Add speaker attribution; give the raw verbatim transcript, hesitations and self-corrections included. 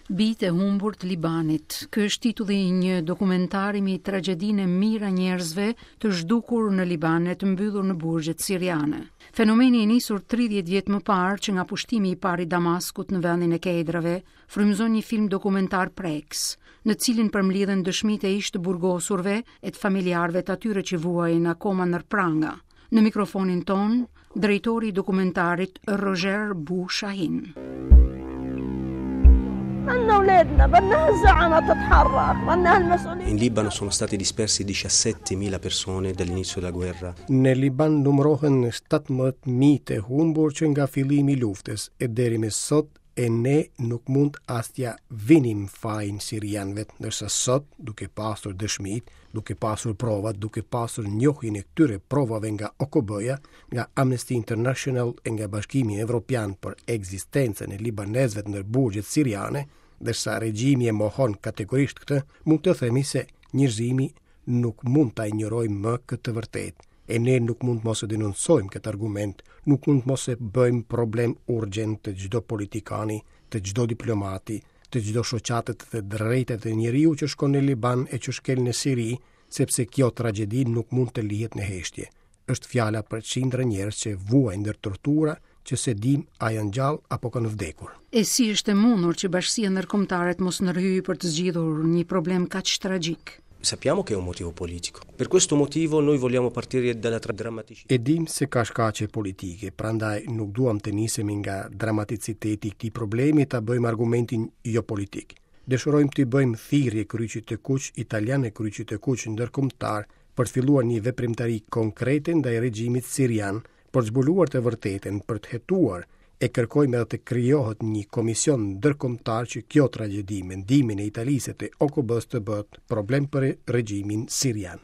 Speaker 1: Bijtë e humbur të Libanit. Ky është titulli i një dokumentari mbi tragjedinë e mijëra njerëzve të zhdukur në Liban e të mbyllur në burgjet siriane. Fenomeni i nisur tridhjetë vjet më parë që nga pushtimi i parë i Damaskut në vendin e Kedrave, frymëzon një film dokumentar preks, në cilin përmblidhen dëshmitë e ish të burgosurve e të familjarëve të atyre që vuajnë akoma nër pranga. Në mikrofonin ton, drejtori i dokumentarit Roger Bou Shahin.
Speaker 2: In Libano sono stati dispersi diciassettemila persone dall'inizio della guerra.
Speaker 3: Në Liban numërohen shtatëmbëdhjetë mijë të humbur që nga fillimi i luftës e deri më sot e ne nuk mund as t'ja vinim fajin sirianëve, ndërsa sot, duke pasur dëshmit, duke pasur provat, duke pasur njohjen e këtyre provave nga O K B-ja, nga Amnesty International e nga Bashkimi Evropian për ekzistencën e libanezëve në burgjet siriane, ndërsa regjimi e mohon kategorisht këtë, mund të themi se njerëzimi nuk mund ta injorojë më këtë vërtet. E ne nuk mund mos e denoncojmë këtë argument, nuk mund mos e bëjmë problem urgjent të çdo politikani, të çdo diplomati, të çdo shoqate të drejtave të njeriu që shkon në Liban e që shkel në Siri, sepse kjo tragjedi nuk mund të lihet në heshtje. Është fjala për qindra njerëz që vuajnë ndër tortura, që se dim a janë gjallë apo kanë vdekur.
Speaker 1: E si është e mundur që bashkësia ndërkombëtare të mos ndërhyjë për të zgjidhur një problem kaq tragjik?
Speaker 2: Sappiamo che è un motivo politico. Per questo motivo noi vogliamo partire dalla tra-, drammaticità.
Speaker 3: E dim se ka shkaqe politike, prandaj nuk duam të nisemi nga dramaticiteti i këtij problemi ta bëjmë argumentin jo politik. Dëshirojmë të bëjmë thirrje Kryqit të Kuq italian e Kryqit të Kuq ndërkombëtar për të filluar një veprimtari konkrete ndaj regjimit sirian, për të zbuluar të vërtetën, për të hetuar, e kërkojmë edhe të krijohet një komision ndërkombëtar që kjo tragjedi me ndihmën e Italisë e të O K B-s të bëhet problem për regjimin sirian.